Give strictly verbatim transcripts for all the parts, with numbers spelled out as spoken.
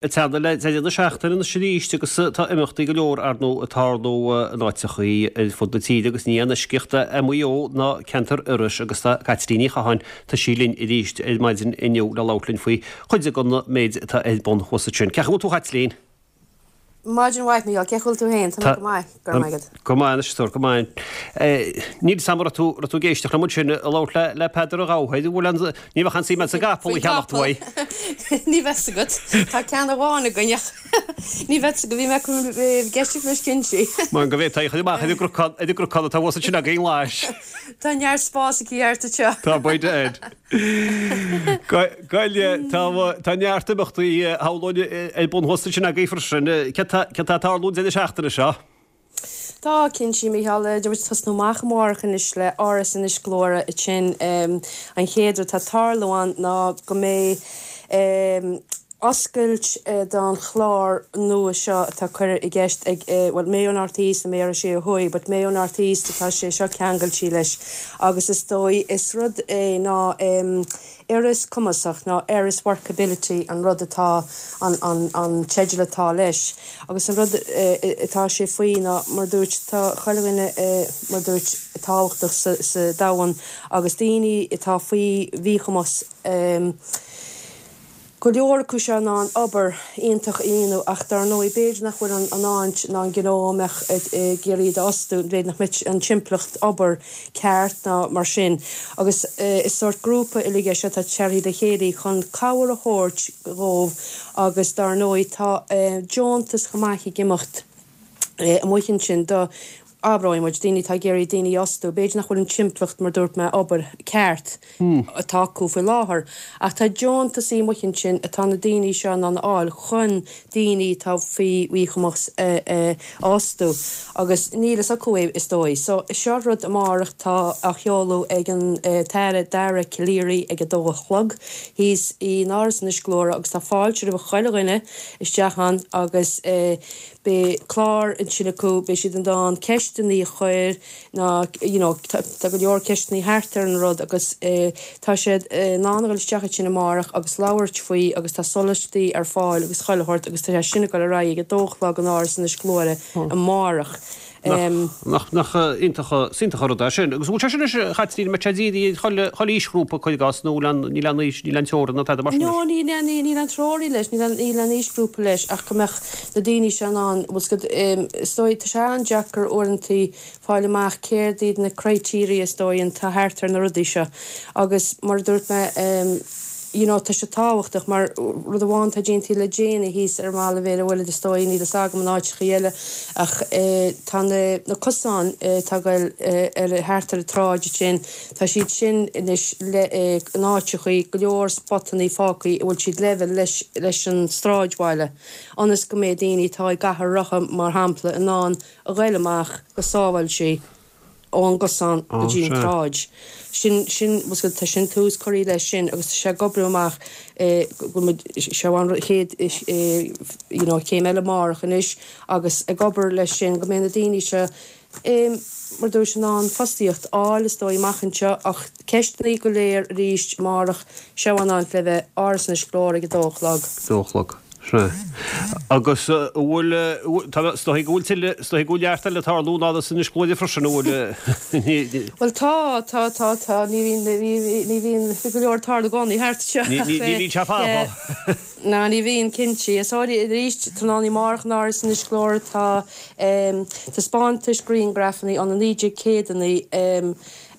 Ag teannadh le deireadh na seachtaine anois arís agus tá imeachtaí go leor ar ndóigh ag tarlú in áiteachaí ar fud na tíre agus ní aon eisceacht é Maigh Eo ná ceantar Iorrais agus tá Caitlín Ní Chatháin, tá sí linn arís ar maidin inniu le labhairt linn faoi chuid den méid atá ar bun thuas ansin. Cén chaoi a bhfuil tú a Chaitlín? Maidin mhaith, Mícheál, cén chaoi a bhfuil tú féin? Tá mé go maith, go raibh maith agat. Go maith anois, a stór, go maith. Níl 'fhios a'm an raibh tú, raibh tú ag éisteacht liom ansin ag labhairt le, le Peadar Ó Gabhthair, an bhfuil an, ní bheadh aon suim a'd sa gcapall a cheannacht uaidh. Ní bheadh 'fhios agat. Tá ceann amháin againn ach ní bheadh 'fhios agat, bhí mé ag éisteacht leis cinnte. Mar go bhféadfaí a chur amach ar an gcnocán, ar an gcnocán atá thuas ansin againn lais. Tá neart spás aici thart anseo. Tá, baint air. Gaeilge, tá neart imeachtaí shamhlóinn ar bun thuas ansin agaibh freisin. Céard tá ag tarlú an deireadh seachtaine seo? Tá, cinnte, Mícheál. Tá muid ag tosnú amach amárach anois le Áras Inis Gluaire ansin. An chéad rud atá ag tarlú ann ná go mbeidh oscailt don chlár nua seo atá curtha i gceist ag, bhuel, Mayo North East and Mayo Sé ó Thuaidh, but Mayo North East atá sé seo ceangailte leis agus is dóigh is rud é ná Iorras Cumasach ná Erris Workability an rud atá an an an teideal atá leis agus an rud atá sé faoi ná mar dúirt tá chuile dhuine mar dúirt tábhachtach sa sa domhan agus daoine atá faoi mhíchumas Go leor acu seo in ann obair iontach a dhéanamh ach dar ndóigh b'fhéidir nach bhfuil an áit ná an gnó a mbeadh ag iarraidh iad a fhostú, b'fhéidir nach mbeadh an timpeallacht obair ceart ná mar sin. Agus is sórt grúpa uilig é seo atá tearthaí le chéile chun cabhair a thabhairt dhóibh agus dar ndóigh tá deontas chomh maith ag imeacht amuigh ansin do Abróidh muid, daoine atá ag iarraidh daoine a fhostú, b'fhéidir nach bhfuil an timpeallacht, mar dúirt mé, obair ceart atá acu faoi láthair, ach tá deontasaí amuigh ansin atá na daoine seo in ann a fháil chun daoine atá faoi mhíchumas a fhostú agus níl fhios acu é is dóigh. So, seo rud amárach tá á sheoladh ag an tAire Dara Calleary ag a dó a chlog thíos in Áras Inis Gluaire agus tá fáilte roimh chuile dhuine isteach ann agus Beidh clár ansin acu, beidh siad in ann ceisteanna a chur ná you know tá go leor ceisteanna thart ar an rud agus tá siad in ann a dhul isteach ansin amárach agus labhairt faoi agus tá sólaistí ar fáil agus chuile shórt agus tá sé sin ag dul ar aghaidh ag a dó a chlog in Áras Inis Gluaire amárach. Nach nach iontach is iontach an rud é sin. Agus an bhfuil sé sin anois, a Chaitlín, an mbeidh sé dírithe ar chuile chuile aoisghrúpa cuir i gcás nó níl aon níl aon aois níl aon teorainn ná tada mar sin leis? No níl aon níl aon teorainn leis, níl aon níl aon aoisghrúpa leis ach go mbeadh na daoine seo in ann, bhfuil 's agat, is dóigh tá sé an-deacair uaireantaí fáil amach céard iad na criteria is dóigh atá thart ar na rudaí seo agus mar a dúirt mé you know tá sé tábhachtach mar rud amháin atá déanta le déanaí thíos ar an mbaile Bhéal an Mhuirthead is dóigh, níl fhios agam in áiteachaí eile ach tá na na cosáin atá ag goil ar thart ar an tsráid ansin tá siad sin anois le in áiteachaí go leor spotannaí fágthaí a bhfuil siad level leis leis an sráidbhaile ionas go mbeidh daoine atá i gcathaoir rotha mar shampla in ann a ghoil amach go sábháilte ón gcosán go dtí an tsráid. Sin, sin, bhfuil 's agat, tá sin tús curtha leis sin agus tá sé ag oibriú amach go bhfuil muid, seo an chéad you know céim eile amárach anois agus ag obair leis sin go mbeidh na daoine seo mar dúirt in ann fostaíocht a fháil is dóigh amach anseo ach ceisteanna go léir arís amárach, seo an áit le bheith, Áras Inis Gluaire ag a dó a chlog. dó a chlog. Sea. Agus an bhfuil, tá, is dóigh go bhfuil tuilleadh, is dóigh go bhfuil neart eile ag tarlú in Áras Inis Gluaire freisin, an bhfuil? Bhuel tá, tá, tá, tá, ní bhíonn, ní, ní bhíonn go leor ag tarlú i gcónaí thart anseo Ní, ní, ní bhíonn sé fada. Ná ní bhíonn, cinnte. Is arís, tráthnóna amárach in Áras Inis Gluaire tá taispeántais grianghrafanna ó na naoi déag céadannaí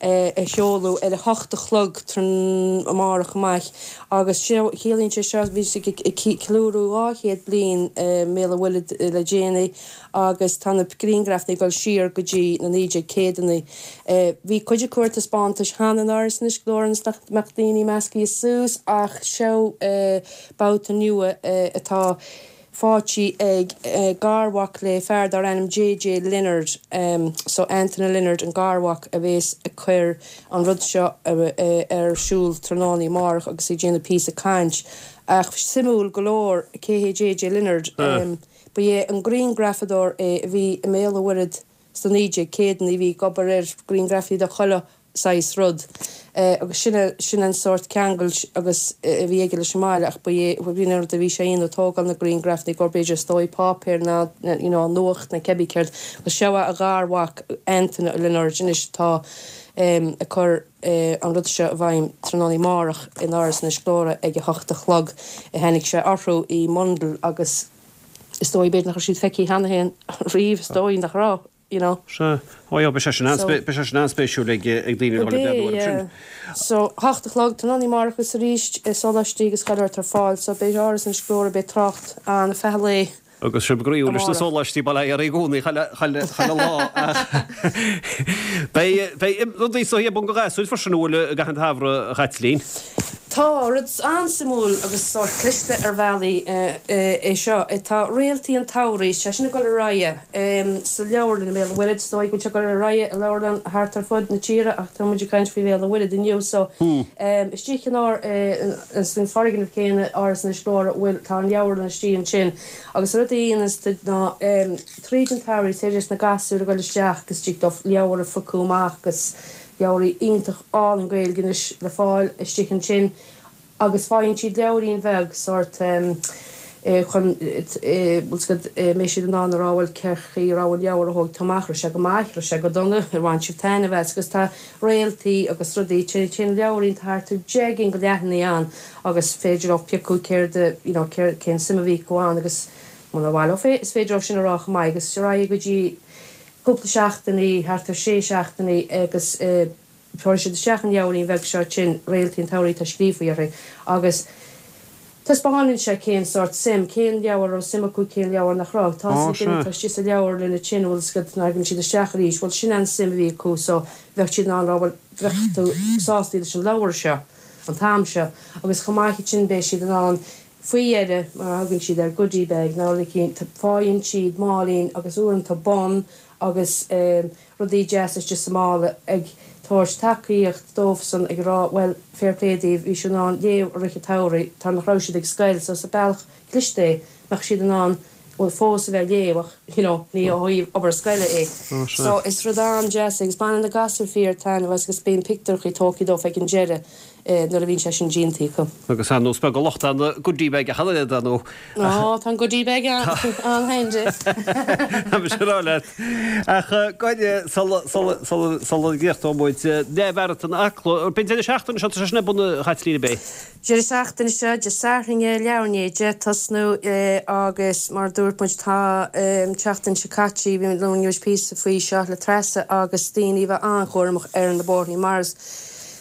a sheoladh ar a hocht a chlog tráthnóna amárach amach agus ciallaíonn sé seo, bhí siad ag ceiliúradh dhá chéad bliain i mBéal an Mhuirthead le déanaí agus tá na grianghrafanna ag dul siar go dtí na naoi déag céadannaí. Bhí cuid acu ar taispeántais cheana in Áras Inis Gluaire ionas nach mbeadh daoine meascaithe suas ach seo babhta nua atá faighte ag garmhac le fear dar ainm JJ Leonard, so Anthony Leonard an garmhac a bhéas ag cur an rud seo ar siúl tráthnóna amárach agus ag déanamh píosa caint. Ach suimiúil go leor cé hé JJ Leonard? Ba é an grianghrafadóir é a bhí i mBéal an Mhuirthead sna naoi déag céadannaí, bhí ag obair ar ghrianghrafaí de chuile saghas rud. Agus sin sin an sórt ceangal agus a bhí aige leis an mbaile ach ba é bhí an rud a bhí sé a dhéanamh tógáil na grianghraf nó gur b'fhéidir is dóigh páipéar ná you know an nuacht nó cibé céard agus seo a gharmhac Antaine Lionáird anois atá ag cur an rud seo i bhfeidhm tráthnóna amárach in Áras Inis Gluaire ag a hocht a chlog. Tháinig sé orthu i mbundle agus is dóigh b'fhéidir nach raibh siad feicthe cheana féin riamh, is dóigh nach raibh, you know. Sea. Ó yeah, beidh sé sin an-, beidh sé sin an-spéisiúil ag ag daoine a dhul ag breathnú orthu sin. So, hocht a chlog, tráthnóna amárach agus arís, sóláistí agus chuile shórt ar fáil, so beidh Áras Inis Gluaire, beidh trácht ann feadh an lae. Agus sibh groíúil leis na sóláistí bail ó Dhia oraibh i gcónaí chuile lá. Beidh beidh rudaí so ar bun do ghasúir freisin an bhfuil i gcaitheamh an tsamhraidh a Chaitlín? Tá, rud an-suimiúil agus sórt cliste ar bhealaí é seo. Tá Réaltaí an tSamhraidh, sé sin ag dul ar aghaidh sa leabharlann i mBéal an Mhuirthead. Is dóigh go bhfuil sé ag dul ar aghaidh i leabharlann thart ar fud na tíre ach tá muid ag caint faoi Bhéal an Mhuirthead inniu so istigh in ár san foirgneamh céanna, Áras Inis Gluaire, bhfuil tá an leabharlann istigh ansin agus an rud a dhéananns ná tríd an tsamhradh is féidir leis na gasúir a dhul isteach agus tig leo leabhar a phiocadh amach agus leabhraí iontach álainn Gaeilge anois le fáil istigh ansin agus faigheann siad leabhairín bheag sórt chun bhfuil 's agat mbeidh siad in ann a rá bhuel cén chaoi a raibh an leabhar a thóg tú amach, raibh sé go maith, raibh sé go dona, ar bhain sibh taitneamh as agus tá réaltaí agus rudaí, téann leabhairín tá thart ar deich gcinn de leathanaigh ann agus féidir leo piocadh céard a you know céard cén suim a bhí acu ann agus muna mhaith leo fé is féidir leo sin a rá chomh maith agus ar aghaidh go dtí cúpla seachtainí, thart ar sé seachtainí agus tabharfaidh siad isteach an leabhairín bheag seo sin Réaltaí an tSamhraidh atá scríofa uirthi agus taispeánann sé cén sórt suim, cén leabhar a raibh suim acu, cén leabhar nach raibh. Tá Ó, 's ag duine sea. atá istigh sa leabharlann ansin, bhfuil 's agat, nuair a thagann siad isteach arís, bhuel sin an suim a bhí acu so bheadh siad in ann rá bhuel bheadh tú sásta leis an leabhar seo an t-am seo agus chomh maith sin beidh siad in ann faoi dheireadh mar a thugann siad ar goodie bag nó rud eicínt, faigheann siad máilín agus uaireanta bonn agus rudaí deasa istigh sa mála ag tabhairt tacaíocht dóibhsan ag rá bhuel fair play daoibh bhí sibh in ann léamh i rith an tsamhraidh tar nach raibh siad ag scoil so is bealach cliste é mbeadh siad in ann bhuel fós a bheith ag léamh ach you know ní ó thaobh obair scoile é. Ó sea. So is rud an-deas é agus baineann na gasúir fíor taitneamh as agus bíonn pictiúrchaí tógtha dóibh ag an deireadh nuair a bhíonn sé sin déanta acu. Agus ar ndóigh is beag an locht ar an goodie bag ach an oiread, ar ndóigh. Ó, tá an goodie bag an-handy. Tá mise ag rá leat. Ach goidé, sula, sula, sula, sula gcríochnóidh muid, Leathmharatón Acla, b'in deireadh seachtaine seo, tá sé sin ar bun a Chaitlín, ab é? Deireadh seachtaine seo, Dé Sathairn, leathuair i ndiaidh a deich tosnú agus mar a dúirt muid tá an tseachtain seo caite, bhí muid labhairt píosa faoi seo le Treasa agus daoine a bheith an-chúramach ar na bóithrí mar is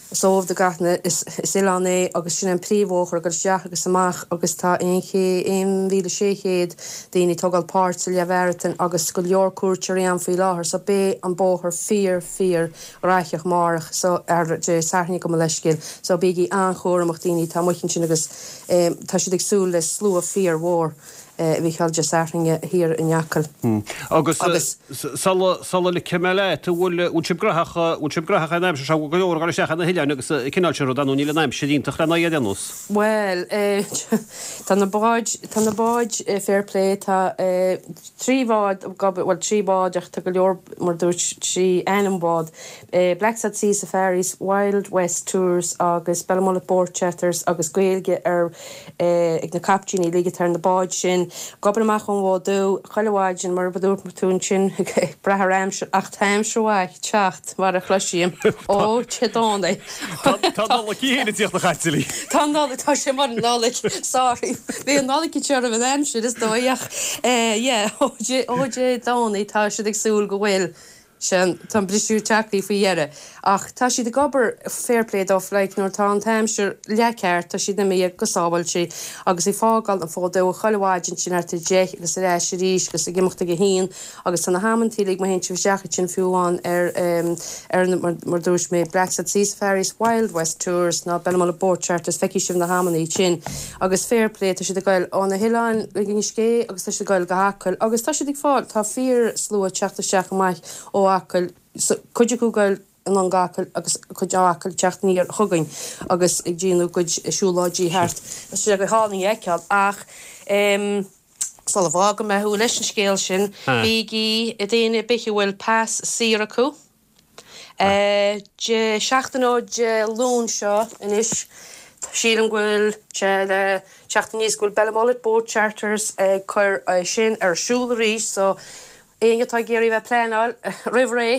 Is eol do gach duine, is oileán é agus sin an príomhbhóthar ag dul isteach agus amach agus tá aon ché, aon mhíle sé chéad daoine ag tógáil páirt sa leathmharatón agus go leor cuairteoirí ann faoi láthair so beidh an bóthar fíor fíor ghnóthach amárach so ar Dé Sathairn gabh mo leithscéal so bígí an-chúramach daoine atá amuigh ansin agus tá siad ag súil le slua fíor mhór. a bhí Dé Sathairn thiar in Acaill. Agus sula sula ligfidh mé leat, an bhfuil bhfuil sibh graitheach bhfuil sibh graitheach an aimsir seo, bhfuil go leor ag dul isteach ar na hoileáin agus an cineál sin ruda, nó níl an aimsir iontach lena aghaidh ar aon nós? Bhuel, tá na báid, tá na báid fair play, tá trí bhád, bhuel trí bhád ach tá go leor mar dúirt trí ainm bád, Blacksod Sea Safaris, Wild West Tours agus Belmullet Boat Charters agus Gaeilge ar ag na caiptíní uilig atá ar na báid sin. Ag obair amach ón bhFód Dubh chuile mhaidin mar a dúirt tú ansin ag brath ar aimsir ach tá aimsir mhaith ag teacht mar a chloisim ó Dé Domhnaigh. Tá Nollaig í fhéin ag tíocht a Chaitlín. Tá Nollaig, tá sé mar an Nollaig, sorry. Bhí an Nollaig ag teacht roimh an aimsir is dóigh ach yeah ó Dé Domhnaigh tá siad ag súil go bhfuil Sin, tá an briseadh tagtha faoi dheireadh. Ach tá siad ag obair, fair play dóibh, like, nuair atá an t-aimsir leathcheart, tá siad imithe go sábháilte agus ag fágáil an Fód Dubh chuile mhaidin sin thart ar deich agus ar ais arís agus ag imeacht ag a haon agus tá na hamantaí uilig má théann sibh isteach ansin fiú amháin ar, ar na, mar, mar dúirt mé, Blacksod Sea Safaris, Wild West Tours ná Belmullet Boat Charters, feicfidh sibh na hamannaí sin agus fair play, tá siad ag goil ó na hoileáin go Inis Gé agus tá siad ag goil go hAcaill agus tá siad ag fáil, tá fíor slua ag teacht isteach amach ó Acaill, cuid acu ag goil anonn go hAcaill agus cuid ó Acaill ag teacht aniar chugainn agus ag déanamh a gcuid siúlóidí thart. Tá sé go hálainn a fheiceáil ach sula bhfágfaidh mé thú leis an scéal sin, bígí, daoine ar bith a bhfuil pas saor acu, Dé seachtain ó Dé Luain seo anois, sílim go bhfuil sé le teacht aníos go bhfuil Belmullet Boat Charters ag cur sin ar siúl arís so éinne atá ag iarraidh bheith pleanáil roimh ré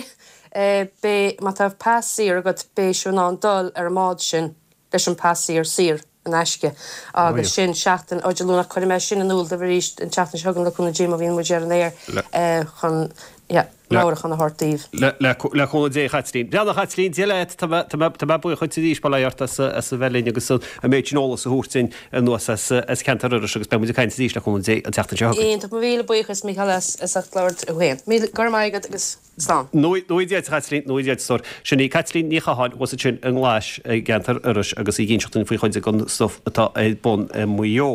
beidh má tá pas saor agat beidh sibh in ann dul ar an mbád sin leis an pas saor saor in aisce agus sin seachtain ó Dé Luain ach cuirfidh mé sin in iúl daoibh arís an tseachtain seo chugainn le cúnamh Dé má bhíonn muid ar an aer chun yeah meabhrúchán a thabhairt daoibh. Le cúnamh Dé, a Chaitlín. Bhuel a Chaitlín, Dia leat, tá mé buíoch dhuit arís, bail ó Dhia ort as a bheith linn agus an méid sin eolas a thabhairt duinn anuas as ceantar Iorrais agus beidh muid ag caint arís le cúnamh Dé an tseachtain seo chugainn. Iontach, mo mhíle buíochas Mícheál as ucht labhairt thú féin. Míle, go raibh maith agat agus slán. Nó Dia duit a Chaitlín, nó Dia duit a stór. Sin í Caitlín Ní Chatháin thuas ansin i nGlais i gceantar Iorrais agus í ag inseacht dúinn faoi chuid den stuif atá ar bun i Maigh Eo.